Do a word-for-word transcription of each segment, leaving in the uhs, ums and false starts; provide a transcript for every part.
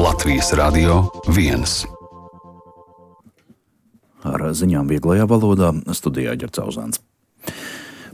Latvijas Radio viens. Ar ziņām vieglajā valodā studijā Ģercauzāns.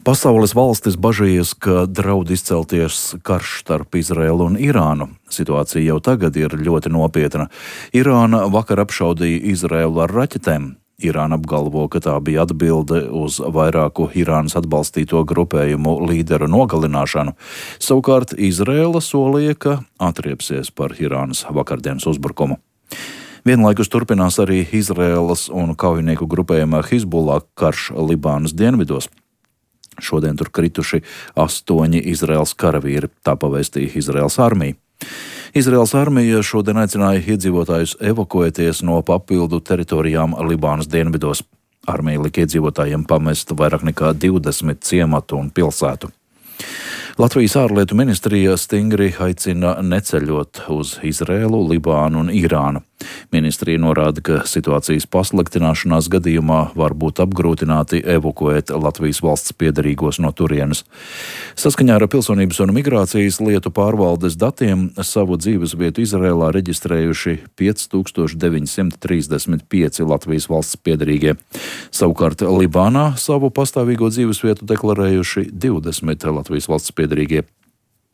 Pasaules valstis bažījas, ka draud izcelties karš starp Izraēlu un Irānu. Situācija jau tagad ir ļoti nopietna. Irāna vakar apšaudīja Izraēlu ar raķetēm. Irāna apgalvo, ka tā bija atbilde uz vairāku Irānas atbalstīto grupējumu līderu nogalināšanu. Savukārt Izraēla solīja, ka atriepsies par Irānas vakardienas uzbrukumu. Vienlaikus turpinās arī Izraēlas un kaujinieku grupējumā Hizbullah karš Libānas dienvidos. Šodien tur krituši astoņi Izraēlas karavīri, tā pavēstīja Izraēlas armija. Izraēlas armija šodien aicināja iedzīvotājus evakuēties no papildu teritorijām Libānas dienvidos. Armija lika iedzīvotājiem pamest vairāk nekā divdesmit ciematu un pilsētu. Latvijas ārlietu ministrija stingri aicina neceļot uz Izraēlu, Libānu un Irānu. Ministrija norāda, ka situācijas pasliktināšanās gadījumā var būt apgrūtināti evakuēt Latvijas valsts piederīgos no turienes. Saskaņā ar Pilsonības un migrācijas lietu pārvaldes datiem savu dzīvesvietu Izraēlā reģistrējuši pieci tūkstoši deviņi simti trīsdesmit pieci Latvijas valsts piederīgie. Savukārt Libānā savu pastāvīgo dzīvesvietu deklarējuši divdesmit Latvijas valsts piederīgie.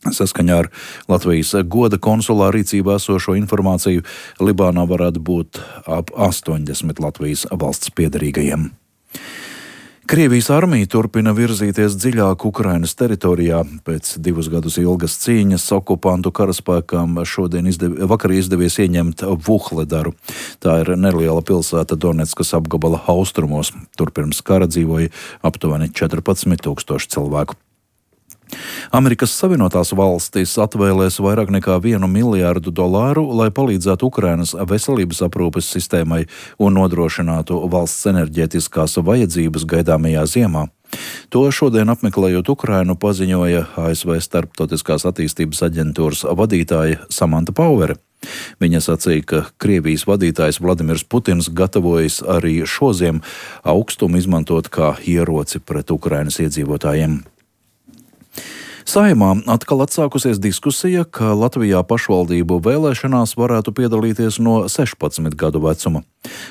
Saskaņā ar Latvijas goda konsulā rīcībā esošo informāciju Libānā varētu būt ap astoņdesmit Latvijas valsts piederīgajiem. Krievijas armija turpina virzīties dziļāk Ukrainas teritorijā. Pēc divus gadus ilgas cīņas okupantu karaspēkam šodien izdev, vakar izdevies ieņemt Vuhledaru. Tā ir neliela pilsēta Donetskas apgabala austrumos. Tur pirms kara dzīvoja aptuveni četrpadsmit tūkstoši cilvēku. Amerikas Savienotās valstis atvēlēs vairāk nekā vienu miljārdu dolāru, lai palīdzētu Ukrainas veselības aprūpes sistēmai un nodrošinātu valsts enerģētiskās vajadzības gaidāmajā ziemā. To šodien apmeklējot Ukrainu paziņoja A S V Starptautiskās attīstības aģentūras vadītāja Samanta Pauvere. Viņa sacīja, ka Krievijas vadītājs Vladimirs Putins gatavojas arī šoziem augstumu izmantot kā ieroci pret Ukrainas iedzīvotājiem. Saeimā atkal atsākusies diskusija, ka Latvijā pašvaldību vēlēšanās varētu piedalīties no sešpadsmit gadu vecuma.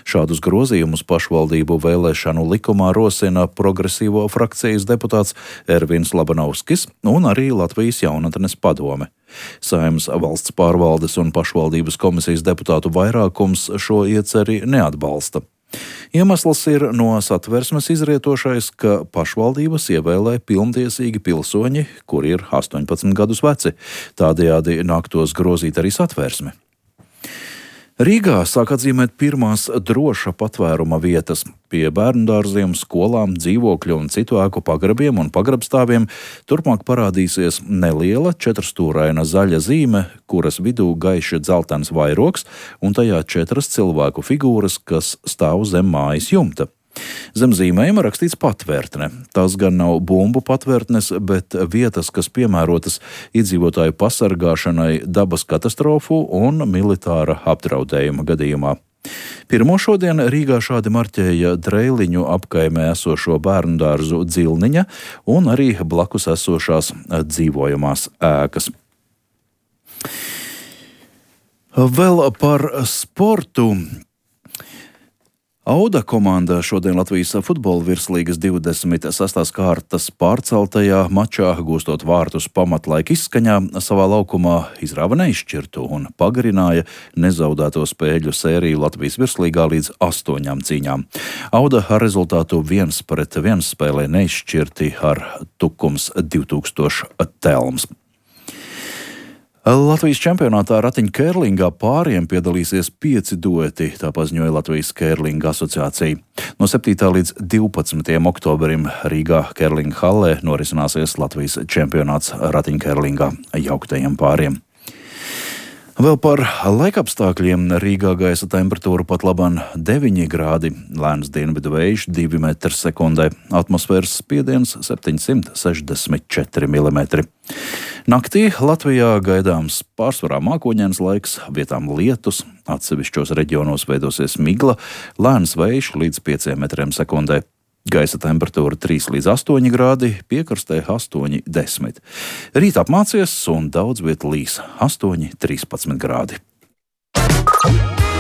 Šādus grozījumus pašvaldību vēlēšanu likumā rosina progresīvo frakcijas deputāts Ervins Labanovskis un arī Latvijas jaunatnes padome. Saeimas valsts pārvaldes un pašvaldības komisijas deputātu vairākums šo ieceri neatbalsta. Iemesls ir no Satversmes izrietošais, ka pašvaldības ievēlē pilntiesīgi pilsoņi, kuri ir astoņpadsmit gadus veci. Tādējādi nāktos grozīt arī Satversmi. Rīgā sāk atzīmēt pirmās droša patvēruma vietas. Pie bērndārziem, skolām, dzīvokļu un citu ēku pagrabiem un pagrabstāviem turpmāk parādīsies neliela četrstūraina zaļa zīme, kuras vidū gaiši dzeltens vairogs un tajā četras cilvēku figūras, kas stāv zem mājas jumta. Zem zīmējuma rakstīts patvērtne. Tās gan nav bumbu patvērtnes, bet vietas, kas piemērotas iedzīvotāju pasargāšanai dabas katastrofu un militāra apdraudējuma gadījumā. Pirmo šodien Rīgā šādi marķēja Dreiliņu apkaimē esošo bērndārzu Dzilniņa un arī blakus esošās dzīvojamās ēkas. Vēl par sportu. Auda komanda šodien Latvijas futbola virslīgas divdesmit sestās kārtas pārceltajā mačā, gūstot vārtus pamatlaika izskaņā, savā laukumā izrāva neizšķirtu un pagarināja nezaudēto spēļu sēriju Latvijas virslīgā līdz astoņām cīņām. Auda ar rezultātu viens pret viens spēlē neizšķirti ar Tukums divi tūkstoši telms. Latvijas čempionātā ratiņkērlingā pāriem piedalīsies pieci dueti, tā paziņoja Latvijas kērlinga asociācija. No septītā līdz divpadsmitajam oktobrim Rīgā kērlinga hallē norisināsies Latvijas čempionāts ratiņkērlingā jauktajiem pāriem. Vēl par laikapstākļiem. Rīgā gaisa temperatūra pat labāk deviņi grādi, lēns dienvidu vējš divi metri sekundē, atmosfēras spiediens septiņsimt sešdesmit četri milimetri. Naktī Latvijā gaidāms pārsvarā mākoņains laiks, vietām lietus, atsevišķos reģionos veidosies migla, lēns vējš līdz pieciem metriem sekundē. Gaisa temperatūra trīs līdz astoņi grādi, piekrastē astoņi desmit. Rīt apmācies un daudz viet līs astoņi trīspadsmit grādi.